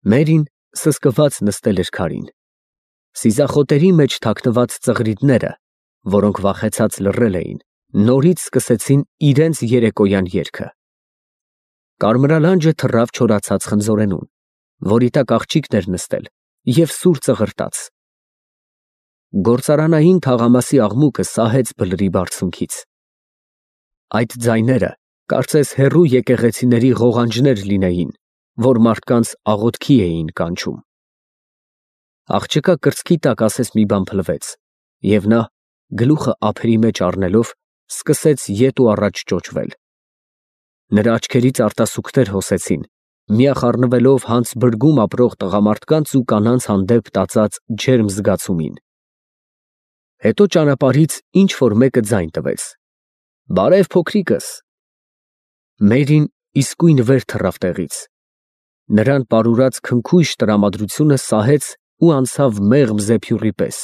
Մերին սսկված նստել էր քարին։ Սիզախոտերի մեջ թաքնված ծղրիդները, որոնք վախեցած լռել էին, նորից սկսեցին իրենց երեկոյան երգը։ Կարմրալանջը թռավ չորացած խնձորենուն, որի տակ աղջիկն էր նստել և սուր ծղրտաց։ Գործարանային թաղամասի աղմուկը սահեց բլրի բարձունքից։ Այդ ձայները կարծես հեռու եկեղեցիների ղողանջներ լինեին, որ մարդկանց աղոթքի էին կանչում։ Աղջկա կրծքի տակ ասես մի բան փլվեց, և նա, գլուխը ափերի մեջ առնելով, սկսեց ետ ու առաջ ճոճվել։ Նրա աչքերից արտասուքներ հոսեցին, միախառնվելով հանց բրգում ապրող տղամարդկանց ու կանանց հանդեպ տածած ջերմ զգացումին։ Հետո ճանապարհից ինչ֊որ մեկը ձայն տվեց. «Բարև, փոքրիկս»։ Մերին իսկույն վեր թռավ տեղից։ Նրան պարուրած քնքուշ տրամադրությունը սահեց ու անցավ մեղմ զեփյուռի պես,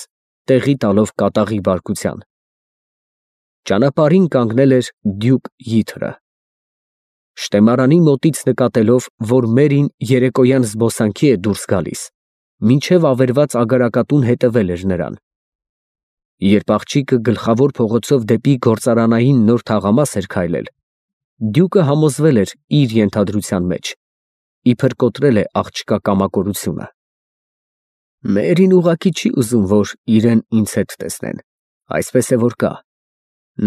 տեղի տալով կատաղի բարկության։ Ճանապարհին կանգնել էր դյուկ Յիթրը։ Շտեմարանի մոտից նկատելով, որ Մերին երեկոյան զբոսանքի է դուրս գալիս, մինչև ավերված ագարակատուն հետևել էր նրան։ Երբ աղջիկը գլխավոր փողոցով դեպի գործարանային նոր թաղամաս էր քայլել, դյուկը համոզվել էր իր ենթադրության մեջ, իբր կոտրել է աղջկա կամակորությունը։ Մերին ուղղակի չի ուզում, որ իրեն ինձ հետ տեսնեն, այսպես է որ կա։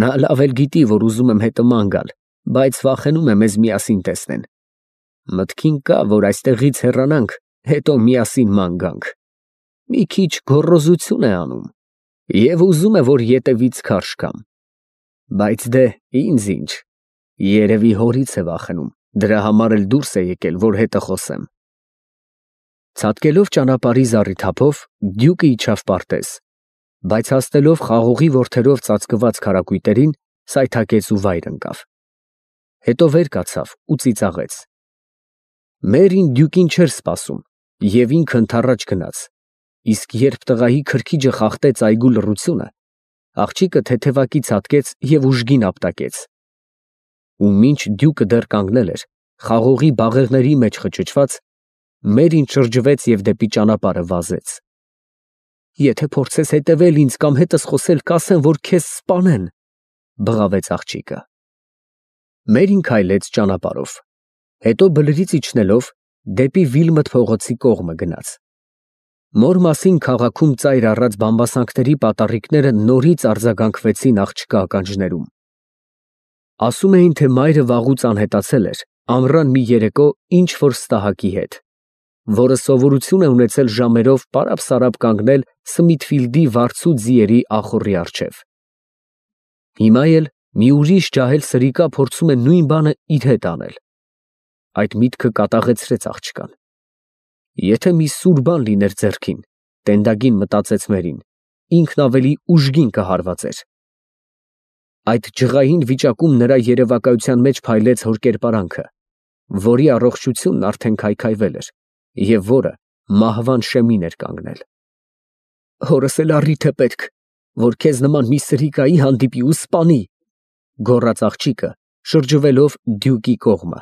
Նա լավ էլ գիտի, որ ուզում եմ հետը ման գալ, բայց վախենում է մեզ միասին տեսնեն։ Մտքին կա, որ այստեղից հեռանանք, հետո միասին ման գանք։ Մի քիչ գոռոզություն է անում և ուզում է, որ ետևից քարշ գամ։ Բայց դե ինձ ինչ, երևի հորից է վախենում, դրա համար էլ դուրս է եկել, որ հետը խոսեմ։ Ցատկելով ճանապարհի զառիթափով, դյուկը իջավ պարտեզ, բայց հասնելով խաղողի որդերով ծածկված քարակույտերին, սայթաքեց ու վայր ընկավ։ Հետո վեր կացավ ու ծիծաղեց։ Մերին դյուկին չէր սպասում և ինքը ընդառաջ գնաց, իսկ երբ տղայի քրքիջը խախտեց այգու լռությունը, աղջիկը թեթևակի ցատկեց և ուժգին ապտակեց։ Ու մինչ դյուկը դեռ կանգնել էր, խաղողի բաղեղների մեջ խճճված, Մերին շրջվեց և դեպի ճանապարհը վազեց։ Եթե փորձես հետևել ինձ կամ հետս խոսել, կասեն, որ քեզ սպանեն, բղավեց աղջիկը։ Մերին քայլեց ճանապարհով, հետո բլրից իջնելով դեպի Վիլմոտ փողոցի կողմը գնաց։ Մոր մասին քաղաքում ծայր առած բամբասանքների պատառիկները նորից արձագանքվեցին աղջկա ականջներում։ Ասում էին, թե մայրը վաղուց անհետացել էր ամռան մի երեկո ինչ֊որ ստահակի հետ, որը սովորություն է ունեցել ժամերով պարապ֊սարապ կանգնել Սմիթֆիլդի վարձու ձիերի ախոռի առջև։ Հիմա էլ մի ուրիշ ջահել սրիկա փորձում է նույն բանը իր հետ անել։ Այդ միտքը կատաղեցրեց աղջկան։ Եթե մի սուր բան լիներ ձեռքին, տենդագին մտածեց Մերին, ինքն ավելի ուժգին կհարվածեր։ Այդ ջղային վիճակում նրա երևակայության մեջ փայլեց հոր կերպարանքը, որի առողջությունն արդեն քայքայվել էր և որը մահվան շեմին էր կանգնել։ Հորս էլ առիթ է պետք, որ քեզ նման մի սրիկայի հանդիպի ու սպանի, գոռաց աղջիկը, շրջվելով դյուկի կողմը,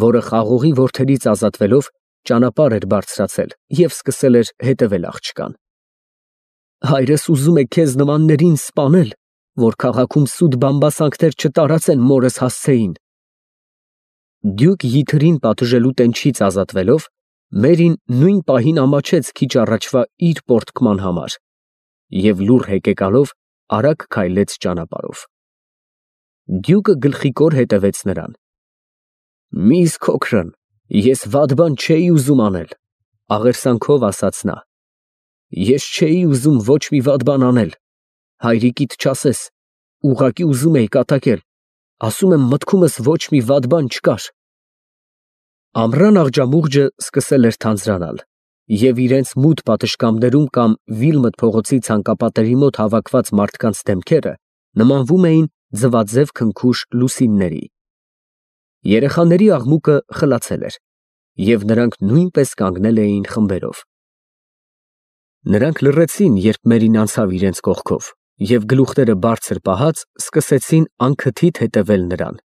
որը խաղողի որդերից ազատվելով ճանապարհ էր բարձրացել և սկսել էր հետևել աղջկան։ Հայրս ուզում է քեզ նմաններին սպանել, որ քաղաքում սուտ բամբասանքներ չտարածեն մորս հասցեին։ Դյուկ Յիթրին պատժելու տենչից ազատվելով, Մերին նույն պահին ամաչեց քիչ առաջվա իր պոռթկման համար և լուռ հեկեկալով արագ քայլեց ճանապարհով։ Դյուկը գլխիկոր հետևեց նրան։ Միս քոքրն, ես վատ բան չէի ուզում անել, աղերսանքով ասաց նա։ Ես չէի ուզում ոչ մի վատ բան անել, հայրիկիդ չասես, ուղղակի ուզում էի կատակել, ասում եմ մտքումս ոչ մի վատ բան չկար։ Ամռան աղջամուղջը սկսել էր թանձրանալ, և իրենց մութ պատշգամբներում կամ Վիլմոտ փողոցի ցանկապատերի մոտ հավաքված մարդկանց դեմքերը նմանվում էին ձվաձև քնքուշ լուսինների։ Երեխաների աղմուկը խլացել էր, և նրանք նույնպես կանգնել էին խմբերով։ Նրանք լռեցին, երբ Մերին անցավ իրենց կողքով, և գլուխները բարձր պահած սկսեցին անքթիթ հետևել նրան։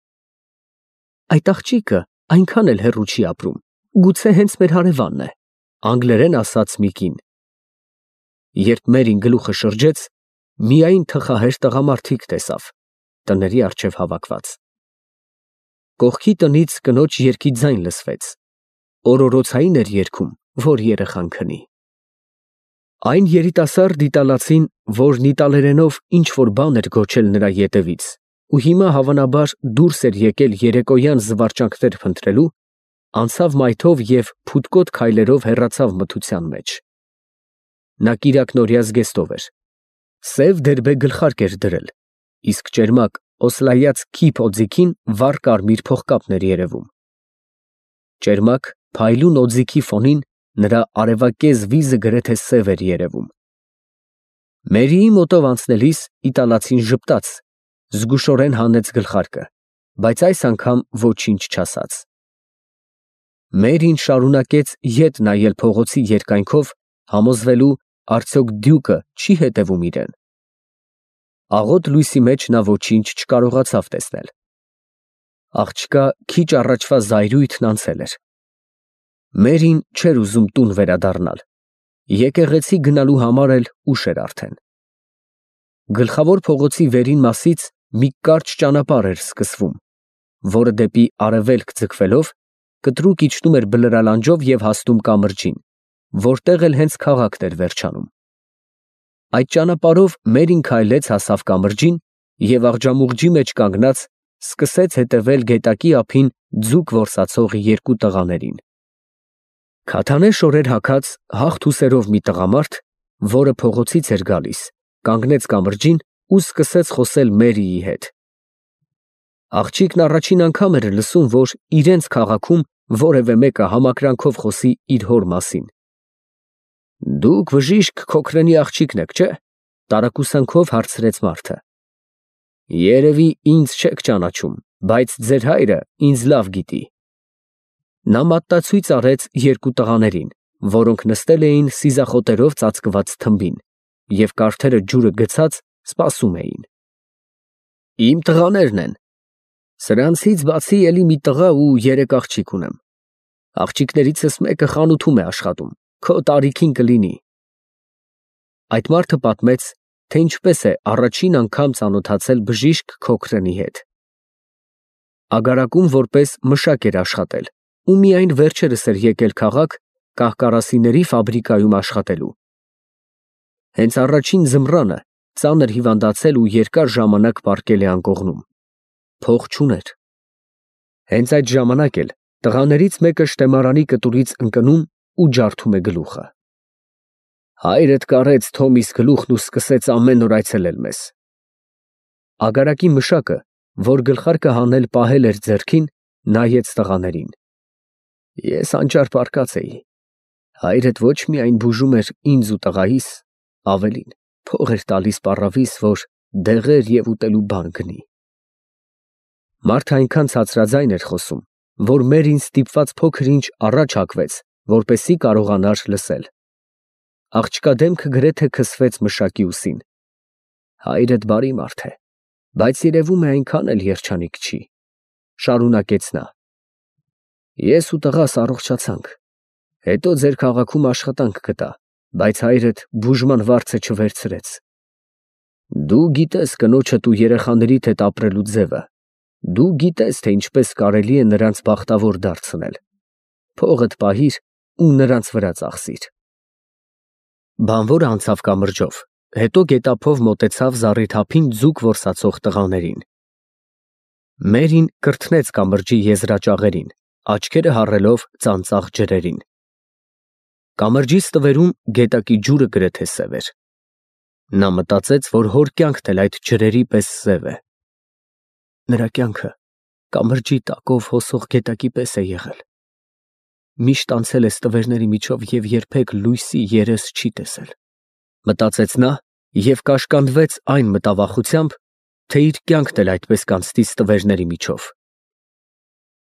Այդ աղջիկը այնքան էլ հեռու չի ապրում, գուցե հենց մեր հարևանն է, անգլերեն ասաց մի կին։ Երբ Մերին գլուխը շրջեց, միայն թխահեր տղամարդիկ տեսավ, տների առջև հավաքված։ Կողքի տնից կնոջ երգի ձայն լսվեց, օրորոցային էր երգում, որ երեխան քնի։ Այն երիտասարդ իտալացին, որն իտալերենով ինչ-որ բան էր գոչել նրա ետևից, ու հիմա հավանաբար դուրս էր եկել երեկոյան զվարճանքներ փնտրելու, անցավ մայթով և փութկոտ քայլերով հեռացավ մթության մեջ։ Նա կիրակնօրյա զգեստով էր, սև դերբե գլխարկ էր դրել, իսկ ճերմակ օսլայած քիփ օձիքին վառ կարմիր փողկապն էր երևում։ Ճերմակ փայլուն օձիքի ֆոնին նրա արևակեզ վիզը գրեթե սև էր երևում։ Մերիի մոտով անցնելիս իտալացին ժպտաց, զգուշորեն հանեց գլխարկը, բայց այս անգամ ոչինչ չասաց։ Մերին շարունակեց ետ նայել փողոցի երկայնքով, համոզվելու, արդյոք դյուկը չի հետևում իրեն։ Աղոտ լույսի մեջ նա ոչինչ չկարողացավ տեսնել։ Աղջկա քիչ առաջվա զայրույթն անցել էր։ Մերին չէր ուզում տուն վերադառնալ, եկեղեցի գնալու համար էլ ուշ էր արդեն։ Գլխավոր փողոցի վերին մասից մի կարճ ճանապարհ էր սկսվում, որը դեպի արևելք ձգվելով կտրուկ իջնում էր բլրալանջով և հասնում կամրջին, որտեղ էլ հենց քաղաքն էր վերջանում։ Այդ ճանապարհով Մերին քայլեց հասավ կամրջին և աղջամուղջի մեջ կանգնած սկսեց հետևել գետակի ափին ձուկ որսացող երկու տղաներին։ Քաթանե շորեր հագած հաղթ-ուսերով մի տղամարդ, որը փողոցից էր գալիս, կանգնեց կամրջին ու սկսեց խոսել Մերիի հետ։ Աղջիկն առաջին անգամ էր լսում, որ իրենց քաղաքում որևէ մեկը համակրանքով խոսի իր հոր մասին։ Դուք բժիշկ Քոքրենի աղջիկն եք, չէ՞, տարակուսանքով հարցրեց մարդը։ Երևի ինձ չեք ճանաչում, բայց ձեր հայրը ինձ լավ գիտի։ Նա մատնացույց արեց երկու տղաներին, որոնք նստել էին սիզախոտերով ծածկված թմբին և կարդերը ջուրը գցած սպասում էին։ Իմ տղաներն են։ Սրանցից բացի էլի մի տղա ու 3 աղջիկ ունեմ։ Աղջիկներիցս մեկը խանութում է աշխատում, քո տարիքին կլինի։ Այդ մարդը պատմեց, թե ինչպես է առաջին անգամ ծանոթացել բժիշկ Քոքրենի հետ։ Ագարակում որպես մշակ էր աշխատել ու միայն վերջերս էր եկել քաղաք կահկարասիների ֆաբրիկայում աշխատելու։ Հենց առաջին ձմռանը ծանր հիվանդացել ու երկար ժամանակ պառկել է անկողնում։ Փող չուներ։ Հենց այդ ժամանակ էլ տղաներից մեկը շտեմարանի կտուրից ընկնում ու ջարդում է գլուխը։ Հայրդ կարեց Թոմիս գլուխն ու սկսեց ամեն օր այցելել մեզ։ Ագարակի մշակը, որ գլխարկը հանել պահել էր ձեռքին, նայեց տղաներին։ Ես անճար պառկած էի։ Հայրդ ոչ միայն բուժում էր ինձ ու տղայիս, ավելին, փող էր տալիս պառավիս, որ դեղեր և ուտելու բան գնի։ Մարդը այնքան ցածրաձայն էր խոսում, որ Մերին ստիպված փոքր-ինչ առաջ հակվեց, որպեսզի կարողանար լսել։ Աղջկա դեմքը գրեթե քսվեց մշակի ուսին։ Հայրդ բարի մարդ է, բայց երևում է այնքան էլ երջանիկ չի, շարունակեց նա։ Ես ու տղաս առողջացանք, հետո ձեր քաղաքում աշխատանք գտա, բայց հայրդ բուժման վարձը չվերցրեց։ Դու գիտես կնոջդ ու երեխաներիդ հետ ապրելու ձևը, դու գիտես, թե ինչպես կարելի է նրանց բախտավոր դարձնել։ Փողդ պահիր ու նրանց վրա ծախսիր։ Բանվորը անցավ կամրջով, հետո գետափով մոտեցավ զառիթափին ձուկ որսացող տղաներին։ Մերին կրթնեց կամրջի եզրաճաղերին, աչքերը հառելով ծանծաղ ջրերին։ Կամրջի ստվերում գետակի ջուրը գրեթե սև էր։ Նա մտածեց, որ հոր կյանքն էլ այդ ջրերի պես սև է։ Նրա կյանքը կամրջի տակով հոսող գետակի պես է եղել։ Միշտ անցել է ստվերների միջով և երբեք լույսի երես չի տեսել, մտածեց նա և կաշկանդվեց այն մտավախությամբ, թե իր կյանքն էլ այդպես կանցնի ստվերների միջով։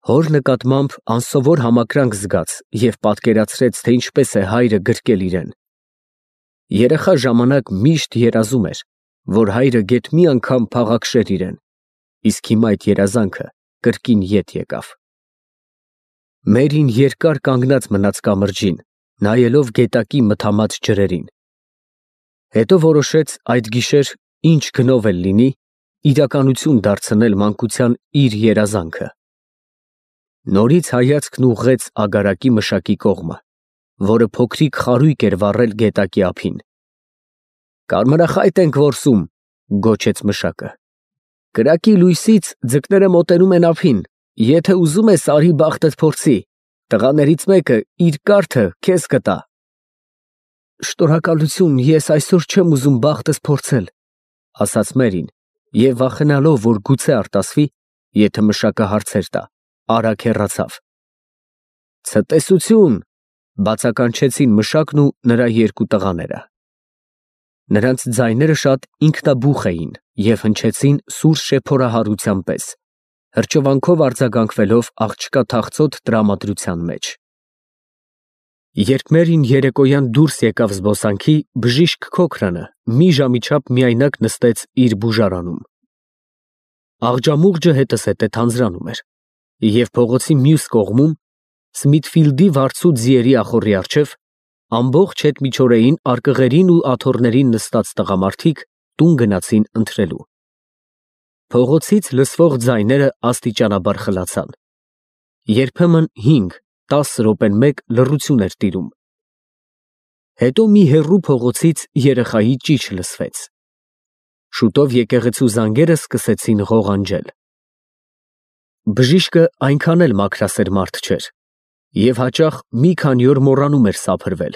Հոր նկատմամբ անսովոր համակրանք զգաց և պատկերացրեց, թե ինչպես է հայրը գրկել իրեն։ Երեխա ժամանակ միշտ երազում էր, որ հայրը գեթ մի անգամ փաղաքշեր իրեն, իսկ հիմա այդ երազանքը կրկին ետ եկավ։ Մերին երկար կանգնած մնաց կամրջին, նայելով գետակի մթամած ջրերին։ Հետո որոշեց այդ գիշեր ինչ գնով էլ լինի, իրականություն դարձնել մանկության իր երազանքը։ Նորից հայացքն ուղղեց ագարակի մշակի կողմը, որը փոքրիկ խարույկ էր վառել գետակի ափին։ «Կարմրախայտ ենք որսում», գոչեց մշակը։ «Կրակի լույսից ձկները մոտենում են ափին, եթե ուզում ես արի բախտդ փորձի, տղաներից մեկը իր կարթը քեզ կտա»։ «Շնորհակալություն, ես այսօր չեմ ուզում բախտս փորձել», ասաց Մերին, և վախենալով, որ գուցե արտասվի, եթե մշակը հարցեր տա, արագ հեռացավ։ «Ցտեսություն», բացականչեցին մշակն ու նրա երկու տղաները։ Նրանց ձայները շատ ինքնաբուխ էին և հնչեցին սուր շեփորահարության պես, հրճվանքով արձագանքվելով աղջկա թախծոտ տրամադրության մեջ։ Երբ Մերին երեկոյան դուրս եկավ զբոսանքի, բժիշկ Քոքրանը մի ժամի չափ միայնակ նստեց իր բուժարանում։ Աղջամուղջը հետզհետե թանձրանում էր, և փողոցի մյուս կողմում, Սմիթֆիլդի վարձու ձիերի ախոռի առջև, ամբողջ հետմիջօրեին արկղերին ու աթոռներին նստած տղամարդիկ տուն գնացին ընթրելու։ Փողոցից լսվող ձայները աստիճանաբար խլացան։ Երբեմն 5-10 րոպեն մեկ լռություն էր տիրում։ Հետո մի հեռու փողոցից երեխայի ճիչ լսվեց։ Շուտով եկեղեցու զանգերը սկսեցին ղողանջել։ Բժիշկը այնքան էլ մաքրասեր մարդ չէր և հաճախ մի քանի օր մոռանում էր սափրվել։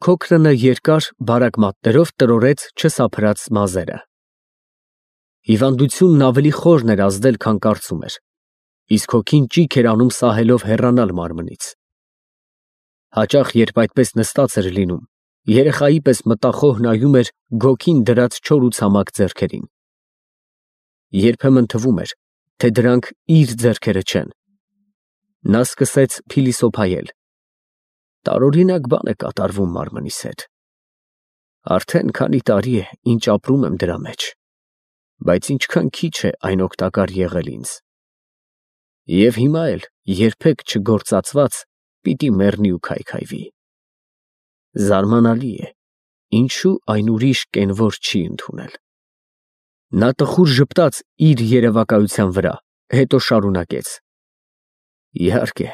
Քոքրանը երկար, բարակ մատներով տրորեց չսափրած մազերը։ Հիվանդությունն ավելի խորն էր ազդել, քան կարծում էր, իսկ հոգին ճիգ էր անում սահելով հեռանալ մարմնից։ Հաճախ, երբ այդպես նստած էր լինում, երեխայի պես մտախոհ նայում էր գոգին դրած չոր ու ցամաք ձեռքերին։ Երբեմն թվում էր, թե դրանք իր ձեռքերը չեն։ Նա սկսեց փիլիսոփայել. տարօրինակ բան է կատարվում մարմնիս հետ։ Արդեն քանի տարի է, ինչ ապրում եմ դրա մեջ, բայց ինչքան քիչ է այն օգտակար եղել ինձ։ Եվ հիմա էլ երբեք չգործածված պիտի մեռնի ու քայքայվի։ Զարմանալի է, ինչու այն ուրիշ կենվոր չի ընդունել։ Նա տխուր ժպտաց իր երևակայության վրա, հետո շարունակեց. Իհարկե,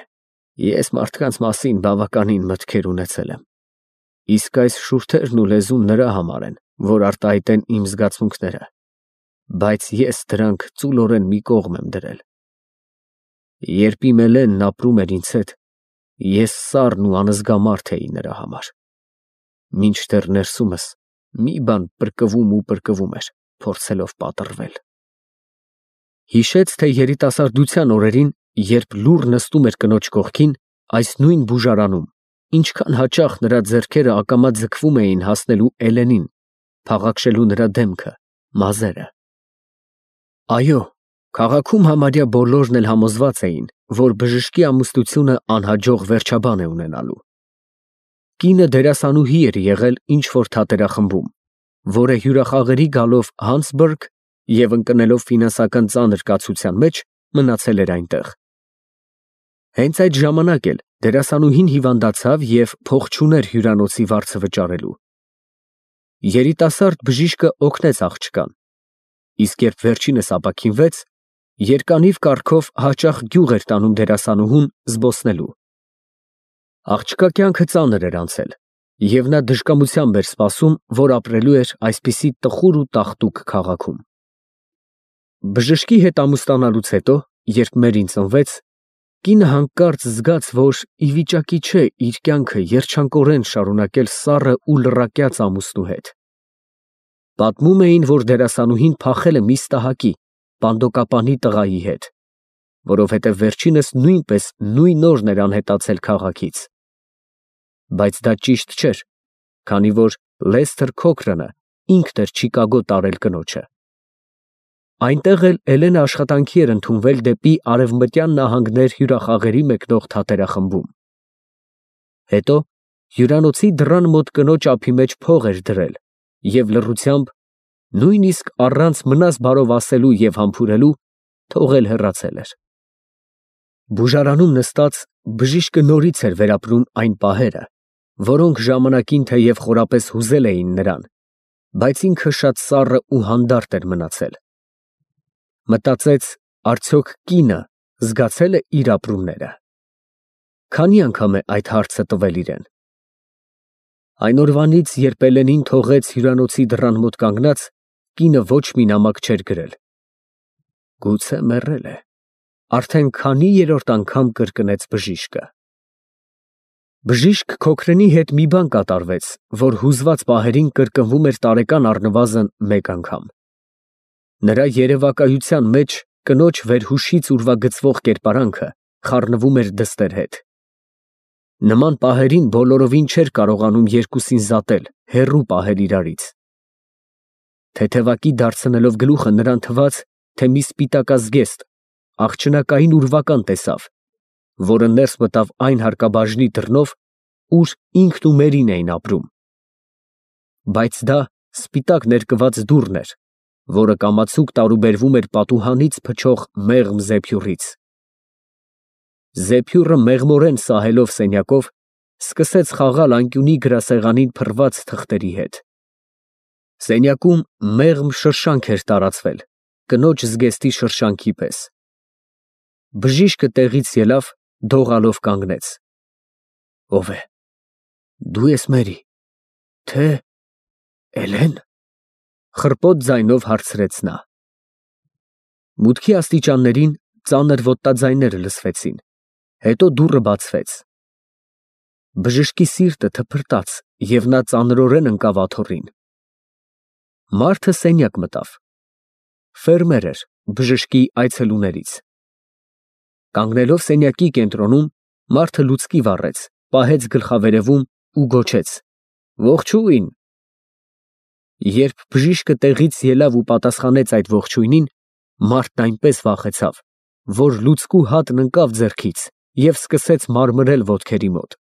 ես մարդկանց մասին բավականին մտքեր ունեցել եմ, իսկ այս շուրթերն ու լեզուն նրա համար են, որ արտահայտեն իմ զգացմունքները, բայց ես դրանք ծուլորեն մի կողմ եմ դրել։ Երբ իմ Էլենն ապրում էր ինձ հետ, ես սառն ու անզգամարդ էի նրա համար, մինչդեռ ներսումս մի բան պրկվում էր, փորձելով պատռվել։ Հիշեց, թե երիտասարդության օրերին, երբ լուռ նստում էր կնոջ կողքին, այս նույն բուժարանում, ինչքան հաճախ նրա ձեռքերը ակամա ձգվում էին հասնելու Էլենին, փաղաքշելու նրա դեմքը, մազերը։ Այո, քաղաքում համարյա բոլորն էլ համոզված էին, որ բժշկի ամուսնությունը անհաջող վերջաբան է ունենալու։ Կինը դերասանուհի էր եղել ինչ-որ թատերախմբում, որը հյուրախաղերի գալով Հանսբուրգ և ընկնելով ֆինանսական ծանր կացության մեջ, մնացել էր այնտեղ։ Հենց այդ ժամանակ էլ դերասանուհին հիվանդացավ և փող չուներ հյուրանոցի վարձը վճարելու։ Երիտասարդ բժիշկը օգնեց աղջկան, իսկ երբ վերջինս ապաքինվեց, երկանիվ կառքով հաճախ գյուղ էր տանում դերասանուհուն զբոսնելու։ Աղջկա կյանքը ծանր էր անցել, և նա դժկամությամբ էր սպասում, որ ապրելու էր այսպիսի տխուր ու տաղտուկ քաղաքում։ Բժշկի հետ ամուսնանալուց հետո, երբ Մերին ծնվեց, կինը հանկարծ զգաց, որ ի վիճակի չէ իր կյանքը երջանկորեն շարունակել սառը ու լռակյաց ամուսնու հետ։ Պատմում էին, որ դերասանուհին փախել է մի ստահակի, պանդոկապանի տղայի հետ, որովհետև վերջինս նույնպես նույն օրն էր անհետացել քաղաքից։ Բայց դա ճիշտ չէր, քանի որ Լեսթեր Քոքրանը ինքն էր Չիկագո տարել կնոջը։ Այնտեղ էլ Էլենը աշխատանքի էր ընդունվել դեպի Արևմտյան նահանգներ հյուրախաղերի մեկնող թատերախմբում։ Հետո հյուրանոցի դռան մոտ կնոջ ափի մեջ փող էր դրել և լռությամբ, նույնիսկ առանց մնաս բարով ասելու և համբուրելու, թողել հեռացել էր։ Բուժարանում նստած Բժիշկը նորից էր վերապրում այն պահերը, որոնք ժամանակին թեև խորապես հուզել էին նրան, բայց ինքը շատ սառը ու հանդարտ էր մնացել։ Մտածեց, արդյոք կինը զգացել է իր ապրումները։ Քանի անգամ է այդ հարցը տվել իրեն։ Այն օրվանից, երբ Էլենին թողեց հյուրանոցի դռան մոտ կանգնած, կինը ոչ մի նամակ չէր գրել։ Գուցե մեռել է, արդեն քանի երրորդ անգամ կրկնեց բժիշկը։ Բժիշկ Քոքրենի հետ մի բան կատարվեց, որ հուզված պահերին կրկնվում էր տարեկան առնվազն մեկ անգամ։ Նրա երևակայության մեջ կնոջ վերհուշից ուրվագծվող կերպարանքը խառնվում էր դստեր հետ։ Նման պահերին բոլորովին չէր կարողանում երկուսին զատել, հեռու պահել իրարից։ Թեթևակի դարձնելով գլուխը նրան թվաց, թե մի սպիտակազգեստ, աղջնակային ուրվական տեսավ, որը ներս մտավ այն հարկաբաժնի դռնով, ուր ինքն ու Մերին էին ապրում։ Բայց դա սպիտակ ներկված դուռն էր, որը կամացուկ տարուբերվում էր պատուհանից փչող մեղմ զեփյուռից։ Զեփյուռը մեղմորեն սահելով սենյակով, սկսեց խաղալ անկյունի գրասեղանին փռված թղթերի հետ։ Սենյակում մեղմ շրշանք էր տարածվել, կնոջ զգեստի շրշանքի պես։ Բժիշկը տեղից ելավ, դողալով կանգնեց։ Ո՞վ է։ Դու ես Մերի, թե Էլեն։ Խռպոտ ձայնով հարցրեց նա։ Մուտքի աստիճաններին ծանր ոտնաձայներ լսվեցին, հետո դուռը բացվեց։ Բժշկի սիրտը թփրտաց, և նա ծանրորեն ընկավ աթոռին։ Մարդը սենյակ մտավ։ Ֆերմեր էր, բժշկի այցելուներից։ Կանգնելով սենյակի կենտրոնում, մարդը լուցկի վառեց, պահեց գլխավերևում ու գոչեց. Ողջույն։ Երբ բժիշկը տեղից ելավ ու պատասխանեց այդ ողջույնին, մարդն այնպես վախեցավ, որ լուցկու հատն ընկավ ձեռքից և սկսեց մարմրել ոտքերի մոտ։